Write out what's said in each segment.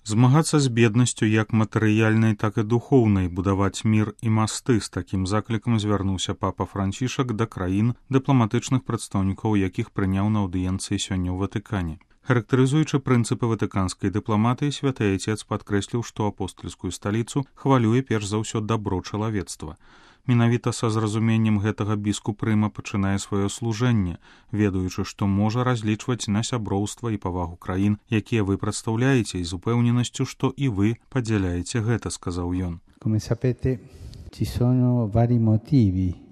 Змагацца з беднасцю як матэрыяльнай, так і духоўнай, будаваць мір і масты. З такім заклікам звярнуўся папа Францішак да краін, дыпламатычных прадстаўнікаў якіх прыняў на аўдыенцыі сёння ў Ватыкане. Характарызуючы прынцыпы ватыканскай дыпламатыі, святы айцец падкрэсліў, што апостальскую сталіцу хвалюе перш за ўсё дабро чалавецтва. Менавіта са зразуменнем гэтага біскуп Рыма пачынае сваё служэнне, ведаючы, што можа разлічваць на сяброўства і павагу краін, якія вы прадстаўляеце, і з упэўненасцю, што і вы падзяляеце гэта, сказаў ён. Come sapete, ci sono vari motivi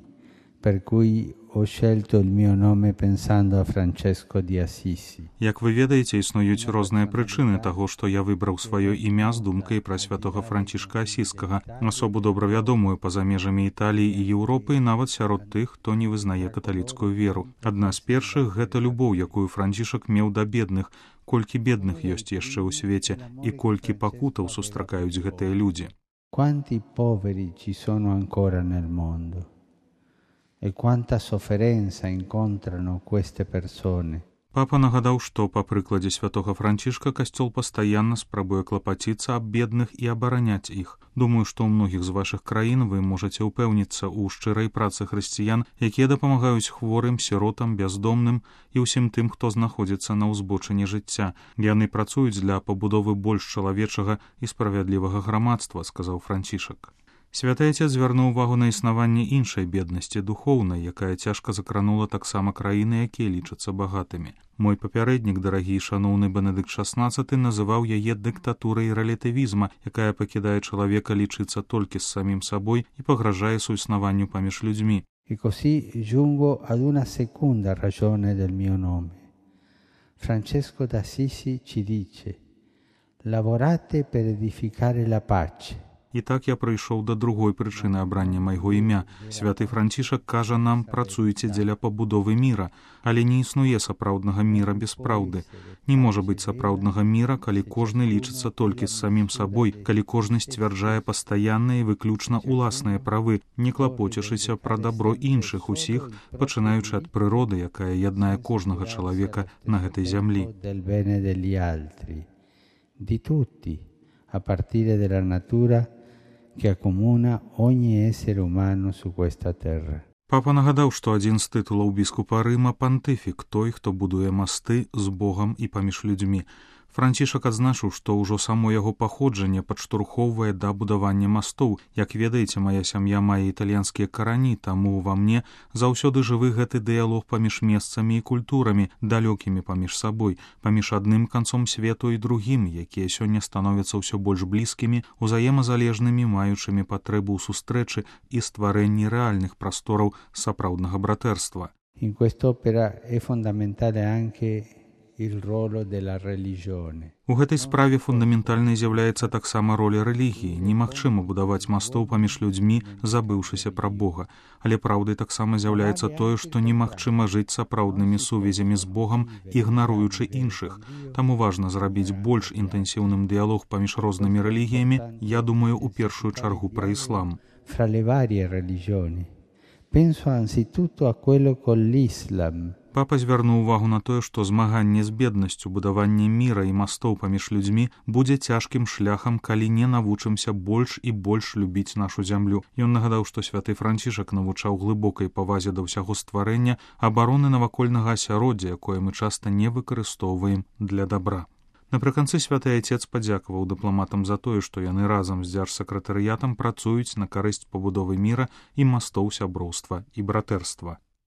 per cui ho scelto il mio nome pensando a Francesco di Assisi. Як вы ведаеце, існуюць розныя прычыны таго, што я выбраў сваё імя з думкай пра святога Францішка Асіскага, асобу добра вядомую па-за межамі Італіі і Еўропы, і нават сярод тых, хто не вызнае каталіцкую веру. Адна з першых — гэта любоў, якую Францішак меў да бедных. Колькі бедных ёсць яшчэ ў свеце, і колькі пакутаў сустракаюць гэтыя людзі. Quanti poveri ci sono ancora nel mondo? E quanta sofferenza incontrano queste persone. Папа нагадаў, што па прыкладзе святога Францішка касцёл пастаянна спрабуе клапаціцца аб бедных і абараняць іх. Думаю, што ў многіх з вашых краін вы можаце ўпэўніцца ў шчырай працы хрысціян, якія дапамагаюць хворым, сіротам, бяздомным і ўсім тым, хто знаходзіцца на ўзбочыне жыцця. Яны працуюць для пабудовы больш чалавечага і справядлівага грамадства, сказаў Францішак. Святы айцец звярнуў увагу на існаванне іншай беднасці, духоўнай, якая цяжка закранула таксама краіны, якія лічацца багатымі. Мой папярэднік, дарагі і шаноўны Бенедыкт XVI, называў яе дыктатурай рэлятывізма, якая пакідае чалавека лічыцца толькі з самім сабой і пагражае суіснаванню паміж людзьмі. E così giungo ad una seconda ragione del mio nome. Francesco d'Assisi ci dice: lavorate per edificare la pace. І так я прыйшоў да другой прычыны абрання майго імя. Святы Францішак кажа нам: працуйце дзеля пабудовы міра, але не існуе сапраўднага міра без праўды. Не можа быць сапраўднага міра, калі кожны лічыцца толькі з самім сабой, калі кожны сцвярджае пастаянныя і выключна ўласныя правы, не клапоцячыся пра дабро іншых усіх, пачынаючы ад прыроды, якая яднае кожнага чалавека на гэтай зямлі. A partire dalla natura que acomuna ogni essere umano su questa terra. Папа нагадаў, што адзін з тытулаў біскупа Рыма — пантыфік, той, хто будуе масты з Богам і паміж людзьмі. Францішак адзначыў, што ўжо само яго паходжанне падштурхоўвае да будавання мастоў. Як ведаеце, мая сям'я мае італьянскія карані, таму ва мне заўсёды жывы гэты дыялог паміж месцамі і культурамі, далёкімі паміж сабой, паміж адным канцом свету і другім, якія сёння становяцца ўсё больш блізкімі, узаемазалежнымі, маючымі патрэбу ў сустрэчы і стварэнні рэальных прастораў сапраўднага братэрства. In quest'opera è fondamentale anche il ruolo della religione. У гэтай справе фундаментальнай з'яўляецца таксама роля рэлігіі. Немагчыма будаваць мастоў паміж людзьмі, забыўшыся пра Бога. Але праўдай таксама з'яўляецца тое, што немагчыма жыць сапраўднымі сувязямі з Богам, ігнаруючы іншых. Таму важна зрабіць больш інтэнсіўным дыялог паміж рознымі рэлігіямі, я думаю, у першую чаргу пра іслам. Fra le varie religioni. Penso anzitutto a quello con l'Islam. Папа звярнуў увагу на тое, што змаганне з беднасцю, будаванне міра і мастоў паміж людзьмі будзе цяжкім шляхам, калі не навучымся больш і больш любіць нашу зямлю. Ён нагадаў, што святы Францішак навучаў глыбокай павазе да ўсяго стварэння, абароны навакольнага асяроддзя, якое мы часта не выкарыстоўваем для дабра. Напрыканцы святы айцец падзякаваў дыпламатам за тое, што яны разам з дзяржсакратарыятам працуюць на карысць пабудовы міра і мастоў сяброўства і братэрства.